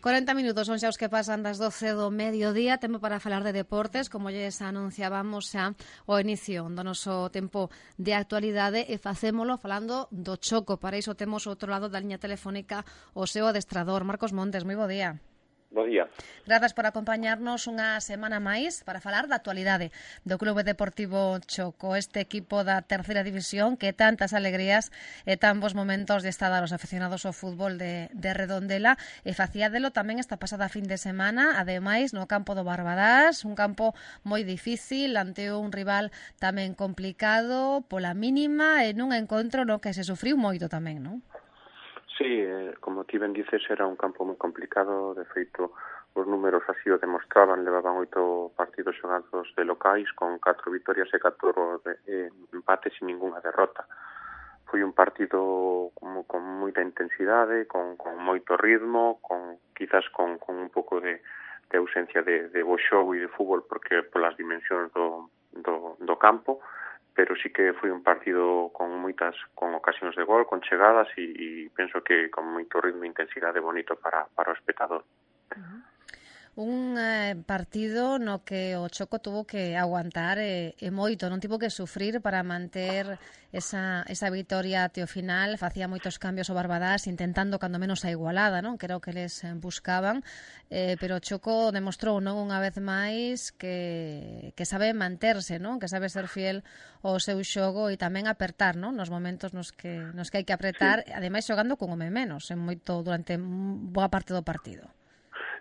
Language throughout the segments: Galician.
40 minutos son xa os que pasan das 12 do mediodía. Tempo para falar de deportes, como lles anunciábamos xa o inicio do noso tempo de actualidade, e facémolo falando do Choco. Para iso temos outro lado da liña telefónica o seu adestrador, Marcos Montes. Moi bo día. Bo día. Grazas por acompañarnos unha semana máis para falar da actualidade do Clube Deportivo Choco, este equipo da terceira división que tantas alegrías e tan bons momentos lle está a dar aos aficionados ao fútbol de Redondela, e facía delo tamén esta pasada fin de semana, ademais no campo do Barbadás, un campo moi difícil ante un rival tamén complicado pola mínima, e nun encontro no que se sufriu moito tamén, non? Sí, como ti ben dices, era un campo moi complicado. De feito, os números así o demostraban. Levaban 8 partidos xogados de locais con 4 vitorias e 4 empates sin ninguna derrota. Foi un partido con moita intensidade, con moito ritmo, quizás con un pouco de ausencia de bo xogo e de fútbol, porque polas dimensións do campo, pero sí que foi un partido con ocasións de gol, con chegadas e penso que con moito ritmo e intensidade bonito para o espectador. Un partido no que o Choco tuvo que aguantar e moito, non tivo que sufrir para manter esa vitoria até o final. Facía moitos cambios o Barbadás, intentando cando menos a igualada, non? Que era o que les buscaban, pero o Choco demostrou non unha vez máis que sabe manterse, non? Que sabe ser fiel ao seu xogo e tamén apertar, non? Nos momentos nos que hai que apretar, sí. Ademais xogando con home menos moito durante boa parte do partido.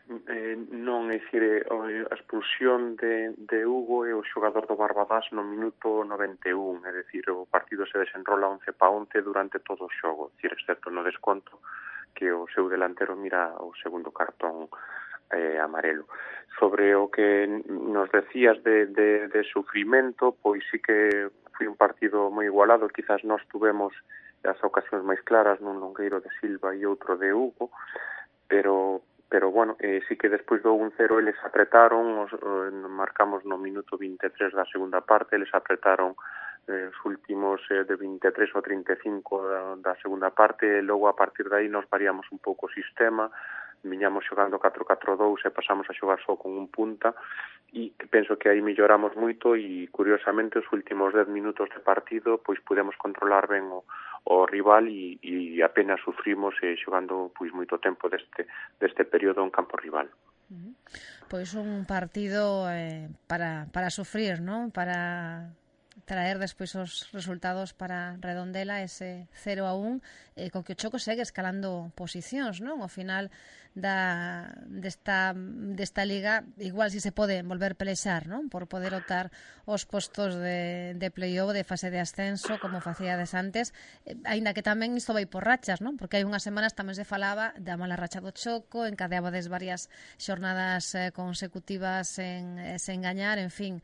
Non, é dicir, a expulsión de Hugo e o xogador do Barbadás no minuto 91, é dicir, o partido se desenrola 11-11 durante todo o xogo, é dicir, excepto no desconto que o seu delantero mira o segundo cartón amarelo. Sobre o que nos decías de sufrimento, pois sí que foi un partido moi igualado. Quizás nós tuvemos as ocasións máis claras nun longueiro de Silva e outro de Hugo, pero bueno, sí que despois do 1-0 eles apretaron, marcamos no minuto 23 da segunda parte, eles apretaron os últimos de 23 ou 35 da segunda parte, e logo a partir de aí nos variamos un pouco o sistema, viñamos xogando 4-4-2 e pasamos a xogar só con un punta, e penso que aí melloramos moito, e curiosamente os últimos 10 minutos de partido pois pudemos controlar ben o rival e apenas sufrimos xogando pois moito tempo deste período en campo rival. Pois un partido para sufrir, non? Para traer despois os resultados para Redondela, ese 0-1, co que o Choco segue escalando posicións, non? Ao final desta liga, igual si se pode volver pelexar, non? Por poder optar os postos de play-off, de fase de ascenso, como facíades antes, aínda que tamén isto vai por rachas, non? Porque hai unhas semanas tamén se falaba da mala racha do Choco, encadeabades varias xornadas consecutivas sen gañar, en fin,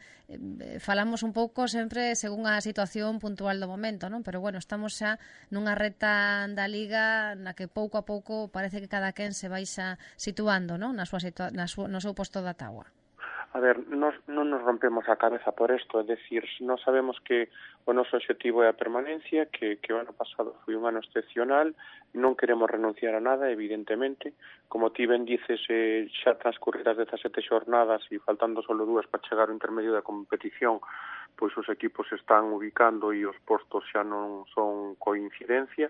falamos un pouco sempre según a situación puntual do momento, non? Pero bueno, estamos xa nunha reta da liga na que pouco a pouco parece que cada quen se baixa situando, non? No seu posto da táboa. A ver, non nos rompemos a cabeza por isto, é dicir, non sabemos que o noso objetivo é a permanencia, que o ano pasado foi un ano excepcional, non queremos renunciar a nada, evidentemente. Como ti ben dices, xa transcurridas 17 xornadas e faltando solo 2 para chegar ao intermedio da competición, pois os equipos se están ubicando e os postos xa non son coincidencia,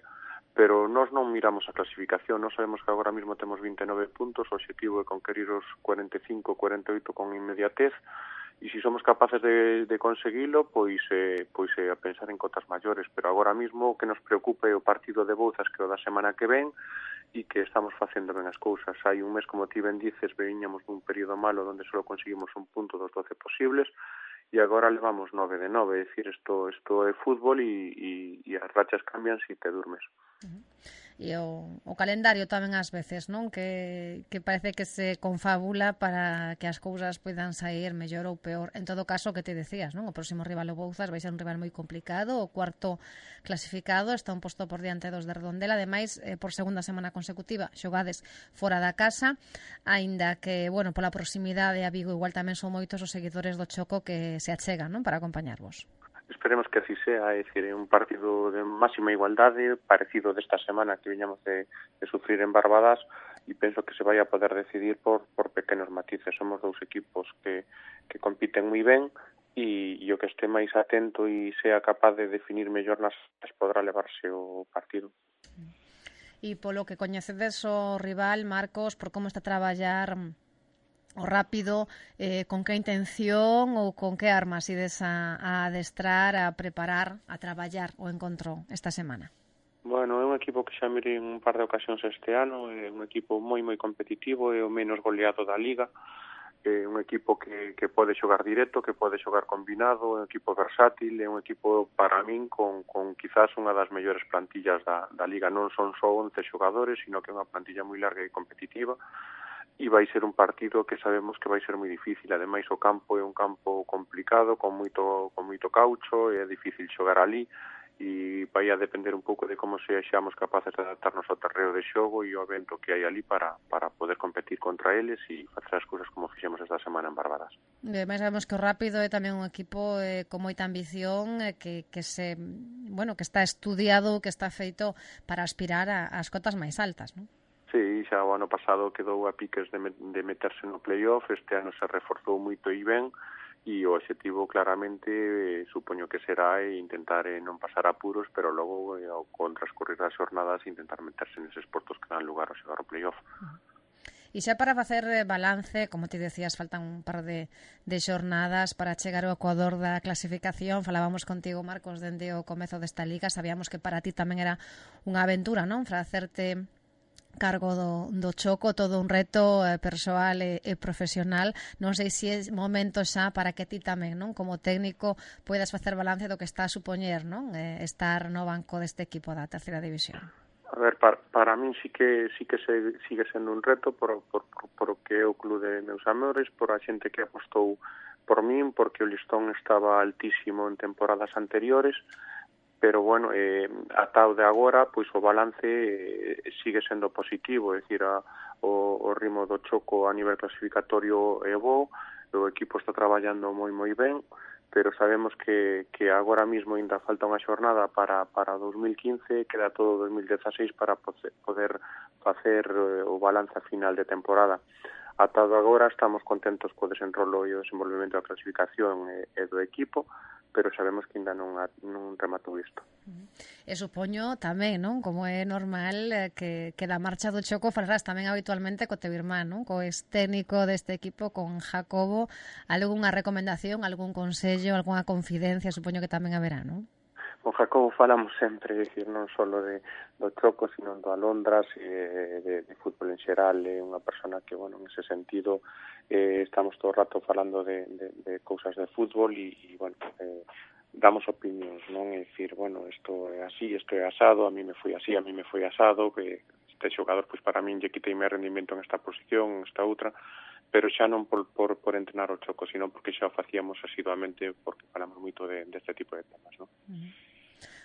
pero nós non miramos a clasificación. Nós sabemos que agora mesmo temos 29 puntos, o objetivo é conquerir os 45, 48 con inmediatez, e se somos capaces de conseguilo, pois a pensar en cotas maiores, pero agora mesmo o que nos preocupa é o partido de Bouzas, que é o da semana que ven, e que estamos facendo ben as cousas. Hai un mes, como ti ben dices, veñamos dun período malo onde só conseguimos un punto dos 12 posibles, e agora levamos 9 de 9, é dicir, isto é fútbol e as rachas cambian se te durmes. E o calendario tamén ás veces, non? Que parece que se confabula para que as cousas poidan sair mellor ou peor. En todo caso, que te decías, non? O próximo rival o Bouzas vai ser un rival moi complicado, o cuarto clasificado, está un posto por diante dos de Redondela, ademais, por segunda semana consecutiva, xogades fora da casa, aínda que, bueno, pola proximidade a Vigo igual tamén son moitos os seguidores do Choco que se achegan, non? Para acompañarvos. Esperemos que así sea, é dicir, un partido de máxima igualdade, parecido desta semana que viñamos de sufrir en Barbadas, e penso que se vai a poder decidir por pequenos matices. Somos dous equipos que compiten moi ben, e o que este máis atento e sea capaz de definir mellor nas podrá levarse o partido. E polo que coñecedes o rival, Marcos, por como está a traballar o rápido, con que intención ou con que armas ides a adestrar, a preparar, a traballar o encontro esta semana? Bueno, é un equipo que xa mirei un par de ocasións este ano, é un equipo moi competitivo, é o menos goleado da Liga, é un equipo que pode xogar directo, que pode xogar combinado, é un equipo versátil, é un equipo para min con quizás unha das mellores plantillas da Liga. Non son só 11 xogadores, sino que é unha plantilla moi larga e competitiva, e vai ser un partido que sabemos que vai ser moi difícil. Ademais, o campo é un campo complicado, con moito caucho, é difícil xogar ali, e vai a depender un pouco de como sexamos capaces de adaptarnos ao terreo de xogo e ao vento que hai ali para poder competir contra eles e facer as cousas como fixemos esta semana en Barbadas. Ademais, sabemos que o Rápido é tamén un equipo con moita ambición, que está estudiado, que está feito para aspirar ás cotas máis altas, non? Sí, xa o ano pasado quedou a piques de meterse no playoff, este ano se reforzou moito e ben, e o objetivo claramente supoño que será intentar non pasar apuros, pero logo con transcurrir as xornadas intentar meterse neses postos que dan lugar ao xogar o playoff. E xa para facer balance, como ti decías, faltan un par de xornadas para chegar ao Ecuador da clasificación. Falábamos contigo, Marcos, dende o comezo desta liga. Sabíamos que para ti tamén era unha aventura, non? Para hacerte cargo do Choco, todo un reto persoal e profesional. Non sei se é momento xa para que ti tamén, non, como técnico, poidas facer balance do que está a supoñer, non, estar no banco deste equipo da terceira división. A ver, para min sí que sigue sendo un reto por o que é o club de meus amores, por a xente que apostou por min, porque o listón estaba altísimo en temporadas anteriores, pero bueno, ata o de agora, pois o balance sigue sendo positivo, é dicir, o ritmo do Choco a nivel clasificatorio é bo, o equipo está traballando moi ben, pero sabemos que agora mismo ainda falta unha xornada para 2015, queda todo 2016 para poder facer o balance final de temporada. Ata agora estamos contentos co desenrolo e o desenvolvemento da clasificación e do equipo, pero sabemos que ainda non rematou isto. E supoño tamén, non, como é normal, que da marcha do Choco falarás tamén habitualmente co teu irmán, non, co ex técnico deste equipo, con Jacobo. Algunha recomendación, algún consello, algunha confidencia, supoño que tamén haberá, non? Con Jacobo falamos sempre, é dicir, non só do Choco, sino do Alondras e de fútbol en xeral. É unha persona que, bueno, en ese sentido estamos todo o rato falando de cousas de fútbol e bueno, damos opinións, non? É dicir, bueno, isto é así, isto é asado, a mí me foi así, a mí me foi asado, que este xogador, pois para min lle quitei máis rendimento en esta posición, en esta outra, pero xa non por entrenar o Choco, sino porque xa o facíamos asiduamente, porque falamos moito deste tipo de temas, non?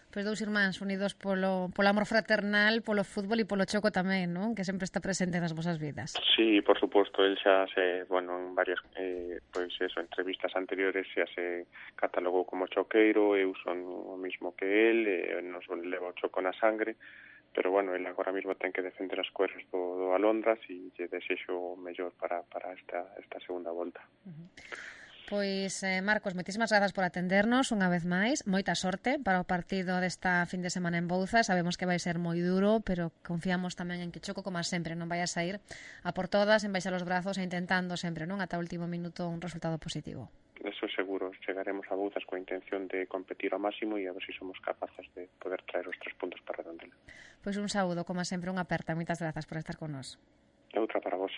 Pois dous irmáns unidos polo amor fraternal, polo fútbol e polo Choco tamén, non? Que sempre está presente nas vosas vidas. Sí, por suposto, el xa en varias entrevistas anteriores xa se catalogou como choqueiro, eu son o mismo que el, nos leva o Choco na sangre, pero bueno, el agora mesmo ten que defender as cores do Alondras e lle desexo o mellor para esta segunda volta. Pois, Marcos, moitísimas grazas por atendernos unha vez máis. Moita sorte para o partido desta fin de semana en Bouza. Sabemos que vai ser moi duro, pero confiamos tamén en que Choco, como sempre, non vai a sair a por todas, en baixar os brazos e intentando sempre, non, ata o último minuto, un resultado positivo. Eso seguro, chegaremos a Bouzas coa intención de competir ao máximo e a ver se somos capaces de poder traer os 3 puntos para Redondela. Pois un saúdo, como sempre, unha aperta. Moitas grazas por estar con nós. E outra para vos.